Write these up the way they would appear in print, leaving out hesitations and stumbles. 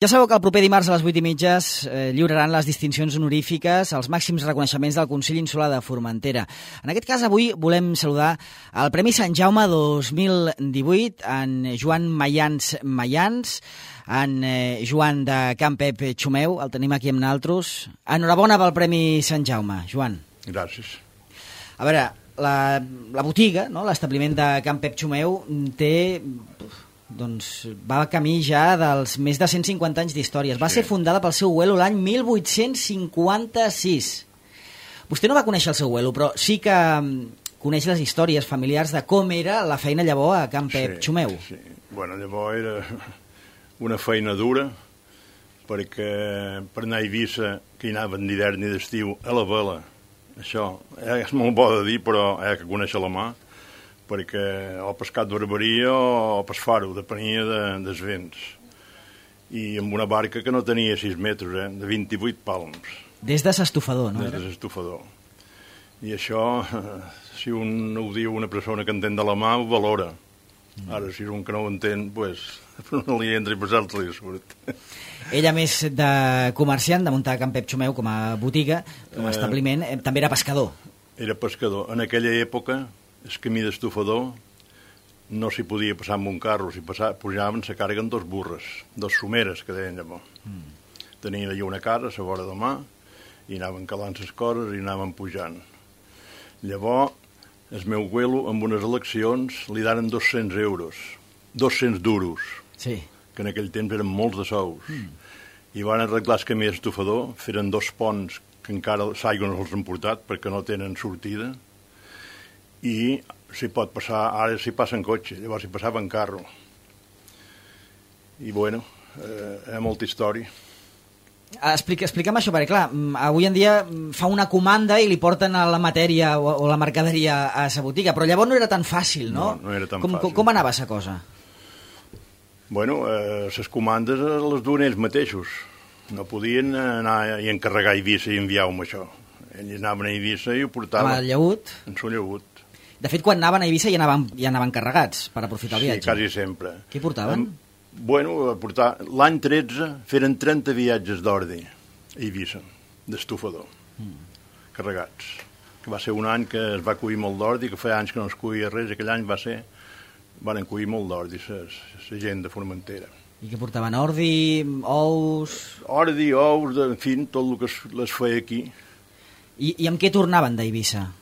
Ja sabeu que el proper dimarts a les 8:30 lliuraran les distincions honorífiques, els màxims reconeixements del Consell Insular de Formentera. En aquest cas, avui volem saludar el Premi Sant Jaume 2018 en Joan Mayans, en Joan de Can Pep Xumeu, el tenim aquí amb nosaltres. Enhorabona pel Premi Sant Jaume, Joan. Gràcies. A veure, la botiga, no?, l'establiment de Can Pep Xumeu té... doncs va camí ja dels més de 150 anys d'històries. Va ser fundada pel seu abuelo l'any 1856. Vostè no va conèixer el seu abuelo, però sí que coneix les històries familiars de com era la feina llavors a Can Pep Xumeu. Sí. Bueno, llavors era una feina dura, perquè per anar a Eivissa, que hi anaven d'hivern i d'estiu, a la vela, això és molt bo de dir, però hi ha que conèixer la mà, perquè o pescat barberia o pesfar-ho, depenia dels vents. I amb una barca que no tenia 6 metres, de 28 palms. Des de s'estofador, no? Des de s'estofador. I això, si un ho diu una persona que entén de la mà, ho valora. Ara, si és un que no ho entén, doncs no li entra i passar-li surt. Ella, més de comerciant, de muntar Can Pep Xumeu com a botiga, com a establiment, també era pescador. Era pescador. En aquella època, el camí d'estofador no s'hi podia passar amb un carro, s'hi pujaven, se carreguen 2 burres, 2 someres, que deien llavors. Tenien allà una cara a la vora de mà, i anaven calant les coses i anaven pujant. Llavors, el meu abuelo, amb unes eleccions, li daren 200 euros, 200 duros, sí, que en aquell temps eren molts de sous. I van arreglar el camí d'estofador, feren 2 ponts que encara l'aigua no els han portat perquè no tenen sortida, i s'hi pot passar, ara s'hi passa en cotxe, llavors s'hi passava en carro. I bueno, hi ha molta història. Explica'm això, perquè clar, avui en dia fa una comanda i li porten a la matèria o la mercaderia a sa botiga, però llavors no era tan fàcil, no? No era tan fàcil. Com anava sa cosa? Bueno, les comandes les duen ells mateixos. No podien anar i encarregar a Eivissa i enviar-ho amb això. Ells anaven a Eivissa i ho portaven. Amb el llaüt? En son llaüt. De fet, quan anaven a Eivissa ja anaven carregats per aprofitar el viatge. Sí, quasi sempre. Què portaven? Bueno, l'any 13 feren 30 viatges d'ordi a Eivissa, d'estofador, carregats. Que va ser un any que es va cuir molt d'ordi, que feia anys que no es cuia res, aquell any van cuir molt d'ordi, la gent de Formentera. I què portaven? Ordi, ous... Ordi, ous, en fi, tot el que les feia aquí. I amb què tornaven d'Eivissa?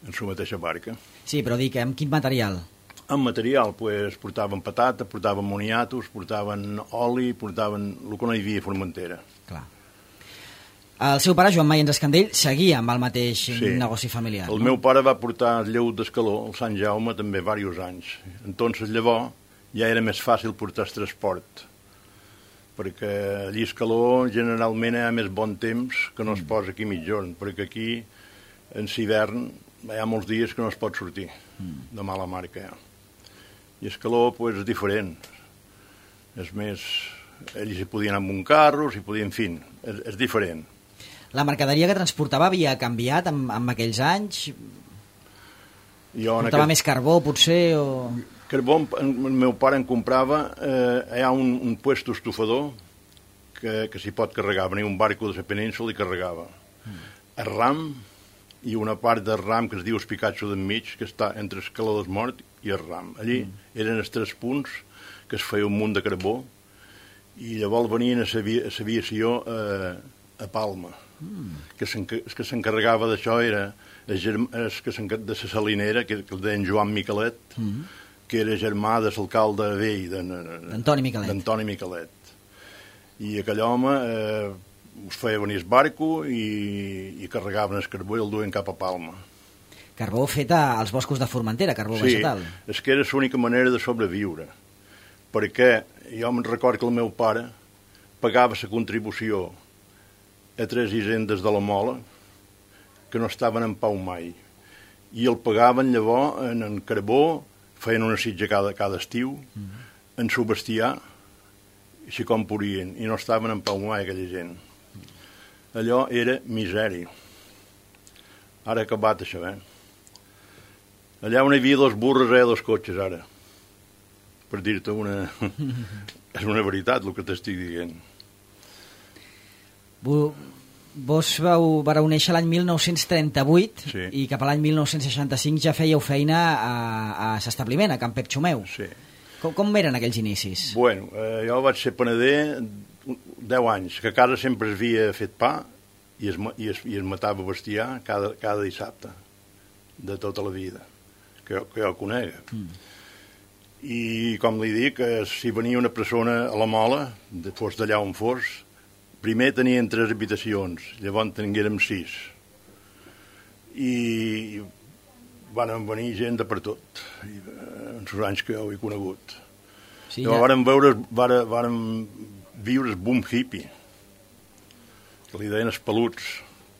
En la mateixa barca. Sí, però dic, amb quin material? En material, doncs, portaven patata, portaven moniatos, portaven oli, portaven el que no hi havia a Formentera. Clar. El seu pare, Joan Mayans Escandell, seguia amb el mateix negoci familiar. El meu pare va portar el lleut d'Escaló, el Sant Jaume, també diversos anys. Entonces, llavors, ja era més fàcil portar el transport, perquè allí a Escaló generalment hi ha més bon temps que no es posa aquí mitjorn, perquè aquí, en l'hivern, hi ha molts dies que no es pot sortir, de mala mar que hi ha. I Escaló, doncs, és diferent. És més, ells hi podien anar amb un carro, s'hi podien, en fi, és diferent. La mercaderia que transportava havia canviat en aquells anys? Portava més carbó, potser, o... Carbó, el meu pare en comprava, hi ha un puesto estofador que s'hi pot carregar, venia un barco de la península i carregava. El ram, i una part del ram que es diu Espicatxo d'enmig, que està entre Escaló del Mort i el ram. Allí eren els 3 punts que es feia un munt de carbó i llavors venien a l'aviació a Palma. Que s'encarregava d'això era de la salinera, que el deien Joan Miquelet, que era germà de l'alcalde vell, d'Antoni Miquelet. I aquell home... us feia venir el barco i carregaven el carbó i el duien cap a Palma. Carbó fet als boscos de Formentera, carbó vegetal. Sí, és que era l'única manera de sobreviure, perquè jo me'n recordo que el meu pare pagava la contribució a 3 hisendes de la Mola que no estaven en pau mai, i el pagaven llavors en carbó, feien una sitja cada estiu, en su bestiar, així com podien, i no estaven en pau mai aquella gent. Allò era misèria. Ara ha acabat això, Allà on hi havia 2 burres hi ha 2 cotxes, ara. Per dir-te una... És una veritat el que t'estic dient. Vos vareu néixer l'any 1938 Sí. i cap a l'any 1965 ja fèieu feina a l'establiment, a Can Pep Xumeu. Sí. Com eren aquells inicis? Bueno, jo vaig ser panader 10 anys, que a casa sempre es havia fet pa i es matava bestiar cada dissabte, de tota la vida, que jo conec. I, com li dic, si venia una persona a la Mola, fos d'allà on fos, primer tenien 3 habitacions, llavors tinguérem 6. I van venir gent de per tot, en els anys que jo he conegut. Sí, Llavors vàrem viure el boom hippie, que li deien els peluts,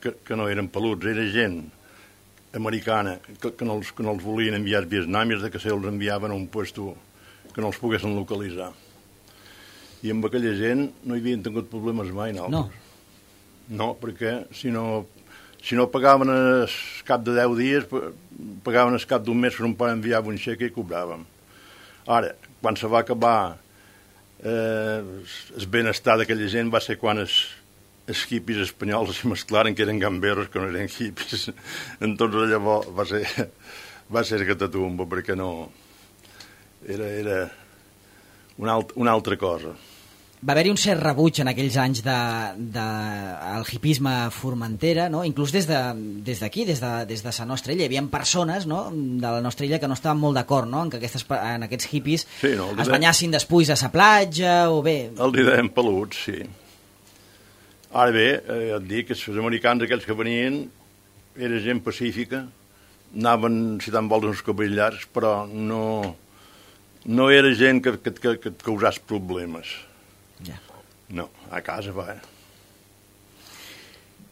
que no eren peluts, era gent americana, que no els volien enviar als vietnamis, que se'ls enviaven a un puesto que no els poguessin localitzar. I amb aquella gent no hi havien tingut problemes mai, nosaltres. No, perquè si no pagaven al cap de 10 dies, pagaven al cap d'un mes que un pare enviava un xeque i cobràvem. Ara, quan se va acabar el benestar d'aquella gent va ser quan els hippies espanyols es mesclaren que eren gamberros, que no eren hippies. Entonces llavors va ser catatumba, perquè no... Era una altra cosa. Va haver-hi un cert rebuig en aquells anys del hipisme a Formentera, no? Inclús des d'aquí, des de la nostra illa. Hi havia persones, no?, de la nostra illa que no estaven molt d'acord, no?, en que en aquests hippies es banyassin després a la platja o bé... El deien peluts, sí. Ara bé, ja et dic que els americans aquells que venien era gent pacífica, anaven, si tant vols, uns cabells llargs, però no era gent que et causàs problemes. Ja. No, a casa va.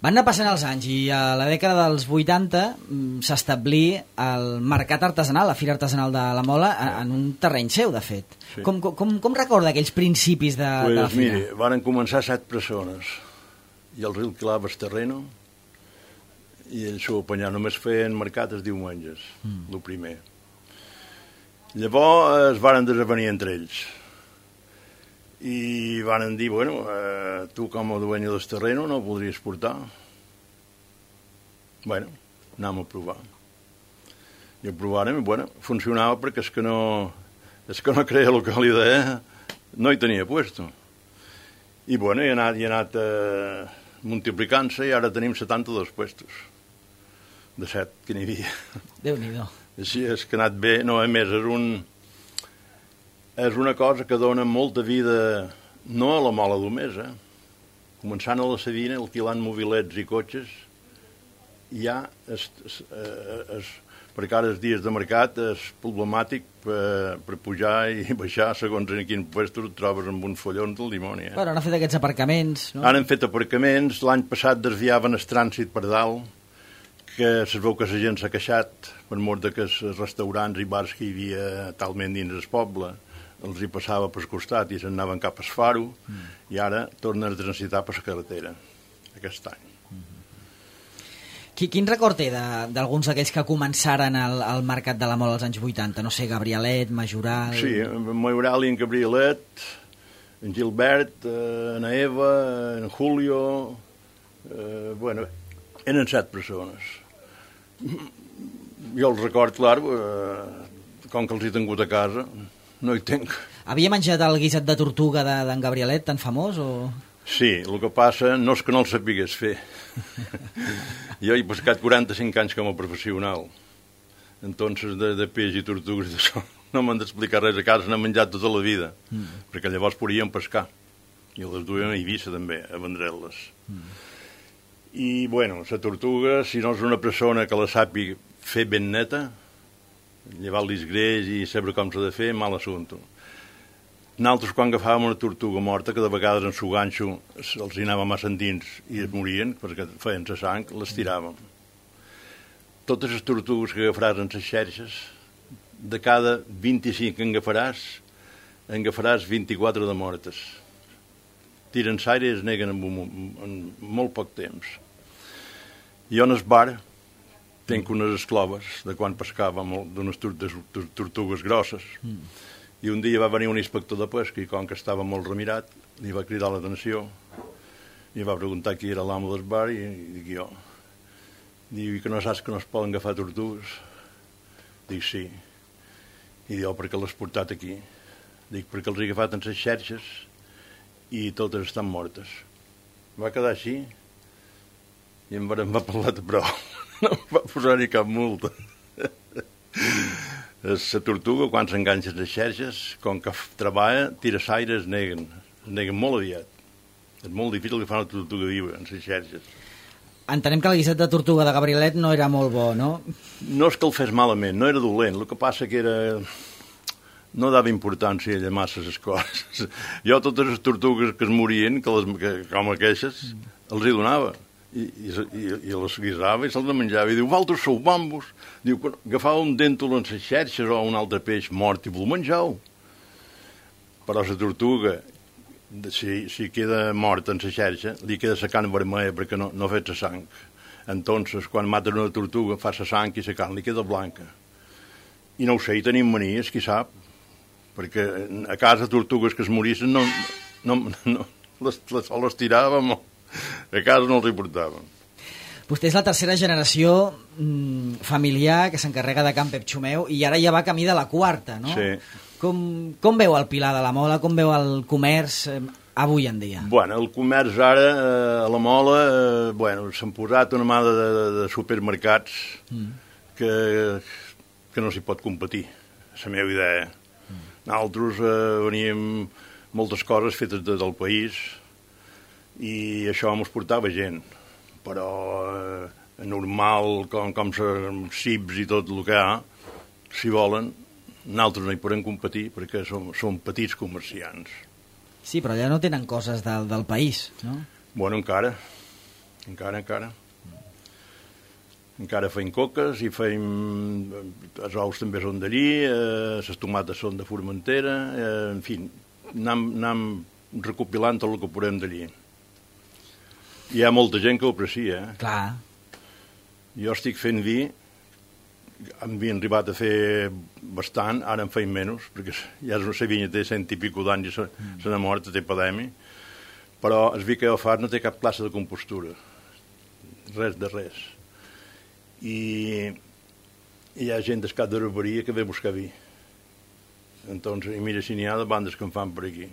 Van anar passant els anys i a la dècada dels 80 s'establí el mercat artesanal, la Fira Artesanal de la Mola, en un terreny seu, de fet. Sí. Com recorda aquells principis de la Fira? Mire, van començar 7 persones i el riu quilava el terreno i ells s'ho apanyar. Només feien mercat els diumenges, el primer. Llavors es varen desavenir entre ells i varen dir, bueno, tu com a dueño del terreno no ho podries portar. Bueno, anem a provar. I ho provàrem i, bueno, funcionava perquè és que no creia localitat, no hi tenia puesto. I, bueno, he anat multiplicant-se i ara tenim 72 puestos de 7 que n'hi havia. Déu-n'hi-do. Així és que ha anat bé. No, a més, és una cosa que dona molta vida, no a la Mola només, començant a la Savina, alquilant mobilets i cotxes, ja perquè ara els dies de mercat és problemàtic per pujar i baixar segons en quin puesto et trobes amb uns follons del dimoni. Bueno, han fet aquests aparcaments, no? Han fet aparcaments, l'any passat desviaven el trànsit per dalt, que es veu que la gent s'ha queixat per mort de que els restaurants i bars que hi havia talment dins el poble els hi passava per costat i se'n anaven cap al faro i ara tornen a transitar per la carretera aquest any. Quin record té d'alguns d'aquells que començaren al mercat de la Mola als anys 80? No sé, Gabrielet, Majoral... Sí, en Majoral i en Gabrielet, en Gilbert, en Eva, en Julio... Bueno, eren 7 persones. Jo els record, clar, com que els he tingut a casa, no hi tinc. Havia menjat el guisat de tortuga d'en Gabrielet, tan famós, o...? Sí, el que passa no és que no el sapigués fer. Jo he pescat 45 anys com a professional. Entonces, de peix i tortugues, d'això no m'han d'explicar res a casa, n'he menjat tota la vida, perquè llavors podíem pescar. I les duien a Eivissa, també, a vendre'les. I, bueno, la tortuga, si no és una persona que la sàpiga fer ben neta, llevar-li el greix i saber com s'ha de fer, mal assumpte. Nosaltres, quan agafàvem una tortuga morta, que de vegades en su ganxo els hi anava massa endins i es morien, perquè feien la sang, les tiràvem. Totes les tortugues que agafaràs en les xerxes, de cada 25 que en agafaràs 24 de mortes. Tiren l'aire i es neguen en molt poc temps. Jo en el bar tinc unes escloves de quan pescàvem d'unes tortugues grosses. I un dia va venir un inspector de pesca i com que estava molt remirat li va cridar l'atenció I va preguntar qui era l'amo del bar i dic jo. Diu, i que no saps que no es poden agafar tortugues? Dic, sí. I diu, per què l'has portat aquí? Dic, perquè els he agafat en les xerxes i totes estan mortes. Va quedar així i em va parlar de prou. No em va posar-hi cap multa. La tortuga, quan s'enganxa les xerxes, com que treballa, tira l'aire, es neguen molt aviat. És molt difícil que fa una tortuga viva en les xerxes. Entenem que el guisat de tortuga de Gabrielet no era molt bo, no? No és que el fes malament, no era dolent. El que passa que era... No dava importància a massa les coses. Jo totes les tortugues que es morien, com aquestes, els hi donava. I les guisava i se'ls menjava. I diu, vosaltres sou bambos. Diu, agafava un dèntol en les xerxes o un altre peix mort i vos menjau. Però la tortuga... Si queda mort en la xerxa, li queda la carn vermella perquè no fet la sang. Entonces, quan maten una tortuga, fa la sang i la carn li queda blanca. I no ho sé, hi tenim manies, qui sap, perquè a casa tortugues que es morissin les tiràvem, a casa no els hi portàvem. Vostè és la tercera generació familiar que s'encarrega de Can Pep Xumeu i ara ja va camí de la quarta, no? Sí. Com veu el Pilar de la Mola, com veu el comerç avui en dia? Bueno, el comerç ara, a la Mola, s'han posat una mà de supermercats que no s'hi pot competir, és la meva idea. Nosaltres veníem moltes coses fetes del país i això ens portava gent, però normal, com cips i tot el que hi ha, si volen, nosaltres no hi podem competir perquè som petits comerciants. Sí, però allà no tenen coses del país, no? Bueno, encara. Encara feim coques i feim... Els ous també són d'allí, les tomates són de Formentera, en fi, anem recopilant tot el que podem d'allí. Hi ha molta gent que ho aprecia, Clar. Jo estic fent vi, havien arribat a fer bastant, ara en feim menys, perquè ja la vinya té 100 i pico d'anys i se n'ha mort, té epidèmia, però el vi que jo faig no té cap classe de compostura, res de res. I hi ha gent d'escat de barberia que ve a buscar vi. Entonces, i mira si n'hi ha de bandes que en fan per aquí.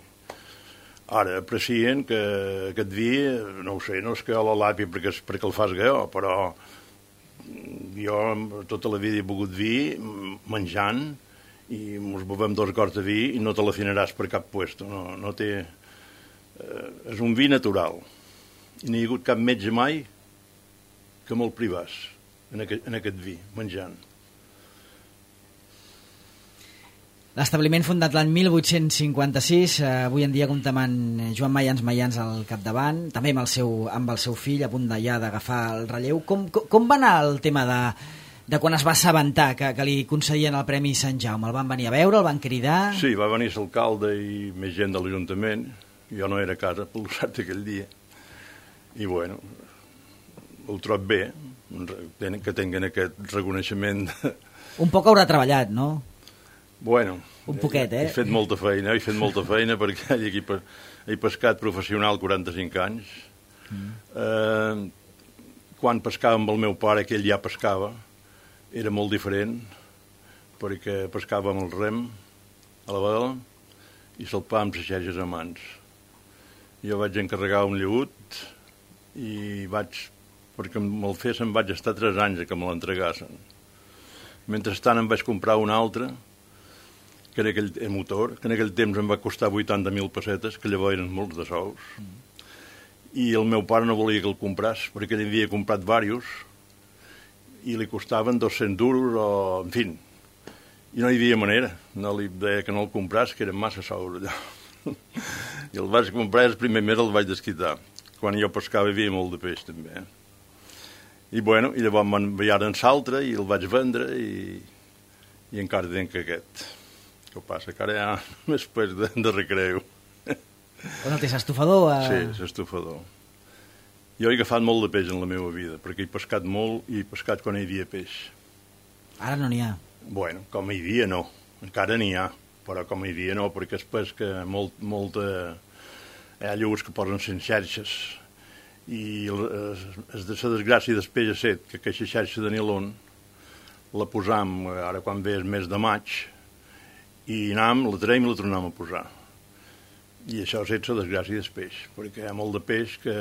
Ara, aprecien que aquest vi, no ho sé, no és que a la làpia perquè el fas jo, però jo tota la vida he begut vi menjant i ens bevem 2 gots de vi i no te l'afinaràs per cap puesto. No té... és un vi natural. I no hi ha hagut cap metge mai que me'l privàs en aquest vi, menjant. L'establiment fundat l'any 1856, avui en dia compta amb Joan Mayans al capdavant, també amb el seu fill a punt ja d'agafar el relleu. Com va anar el tema de quan es va assabentar que li concedien el Premi Sant Jaume? El van venir a veure, el van cridar? Sí, va venir l'alcalde i més gent de l'Ajuntament. Jo no era a casa pel cert aquell dia. I bueno, ho trob bé, que tinguin aquest reconeixement. Un poc haurà treballat, no? Bueno, un poquet, he fet molta feina perquè he pescat professional 45 anys. Quan pescava amb el meu pare, que ell ja pescava, era molt diferent, perquè pescava amb el rem a la vela i salpava amb les xerxes a mans. Jo vaig encarregar un lleut i perquè me'l fessin, vaig estar 3 anys que me l'entregassen. Mentrestant em vaig comprar un altre, que era aquell motor, que en aquell temps em va costar 80.000 pessetes, que llavors eren molts de sous, i el meu pare no volia que el compràs, perquè ell havia comprat diversos, i li costaven 200 duros, o en fi, i no hi havia manera, no li deia que no el compràs, que eren massa sous allò. I el vaig comprar i el primer mes el vaig desquitar. Quan jo pescava hi havia molt de peix, també. I bueno, i llavors m'enviaren l'altre i el vaig vendre i encara tenc aquest. Què passa? Que ara ja més peix de recreu. On el tens, estufador? Sí, l'estufador. Jo he agafat molt de peix en la meva vida, perquè he pescat molt i he pescat quan hi havia peix. Ara no n'hi ha. Bueno, com hi havia no. Encara n'hi ha, però com hi havia no, perquè es pesca molta... Hi ha llurs que posen 100 xarxes I de la desgràcia després ha set que aquesta xarxa de nilon la posam ara quan ve el mes de maig i anam, la traiem i la tornem a posar. I això ha set la desgràcia del peix, perquè hi ha molt de peix que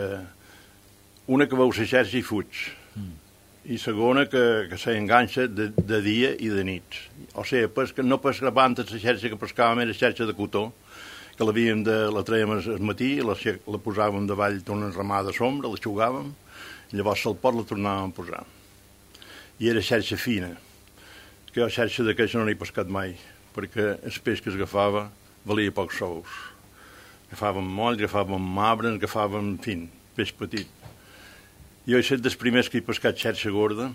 una que veu la xarxa i fuig, i segona que s'enganxa de dia i de nits. O sigui, no pescaven la xarxa que pescàvem era xarxa de cotó, que la traiem al matí, la posàvem davall d'una ramada de sombra, la xugàvem, i llavors al port la tornàvem a posar. I era xarxa fina, que xarxa d'aquesta no n'he pescat mai, perquè el peix que es agafava valia pocs sous. Agafàvem moll, agafàvem mabres, agafàvem, en fi, peix petit. Jo he estat dels primers que he pescat xarxa gorda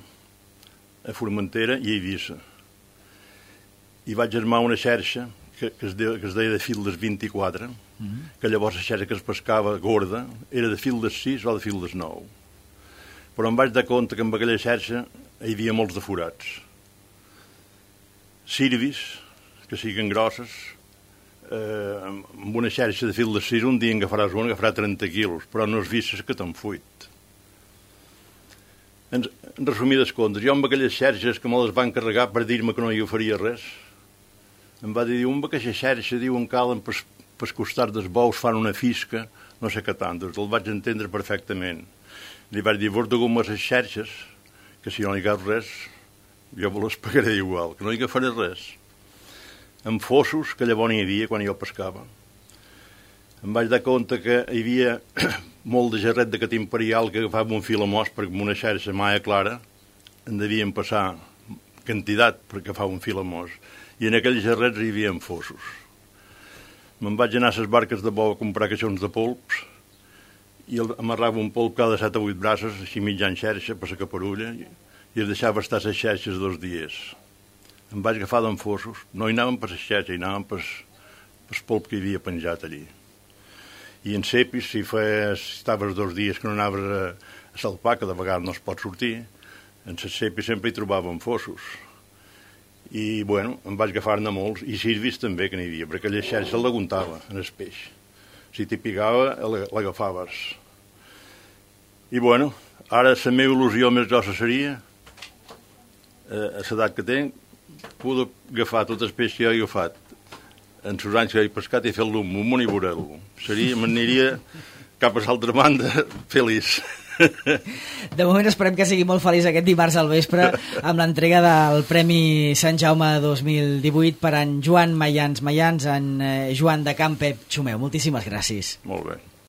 a Formentera i a Eivissa. I vaig armar una xarxa que es deia de fil des 24, que llavors la xarxa que es pescava gorda era de fil des 6 o de fil des 9. Però em vaig dar compte que amb aquella xarxa hi havia molts de forats. Sirvis, que siguin grosses, amb una xarxa de fil des 6 un dia en agafarà 30 quilos, però no has vist que t'han fuit. En resumides comptes, jo amb aquelles xarxes que me les van carregar per dir-me que no hi oferia res, em va dir, amb aquesta xarxa, diuen, calen per costat dels bous, fan una fisca, no sé què tant, doncs el vaig entendre perfectament. Li vaig dir, vos de gomar les xarxes, que si no hi agafo res, jo me les pagaré igual, que no hi agafaré res. Amb fossos, que llavors n'hi havia quan jo pescava. Em vaig dar compte que hi havia molt de gerret de cat imperial que agafava un fil a mos perquè amb una xarxa maia clara en devien passar quantitat per agafar un fil a mos. I en aquells gerrets hi havia fossos. Me'n vaig anar a les barques de bou a comprar caixons de polps i amarrava un polp cada 7 o 8 braços, així mitjan xarxa per la caparulla, i es deixava estar les xarxes 2 dies. Em vaig agafar d'en fossos, no hi anàvem per les xarxes, hi anàvem per el polp que hi havia penjat allí. I en cepis, si estaves 2 dies que no anaves a salpar, que de vegades no es pot sortir, en les cepis sempre hi trobàvem fossos. I, bueno, em vaig agafar-ne molts, i sirvis també que n'hi havia, perquè aquella xarxa l'aguantava en el peix. Si t'hi picava, l'agafaves. I, bueno, ara la meva il·lusió més grossa seria, a l'edat que tenc, poder agafar tot el peix que jo he agafat en els anys que he pescat i fer-lo un munt i veure-lo. M'aniria cap a l'altra banda feliç. De moment esperem que sigui molt feliç aquest dimarts al vespre amb l'entrega del Premi Sant Jaume 2018 per en Joan Mayans, en Joan de Camp Pep Xumeu. Moltíssimes gràcies. Molt bé.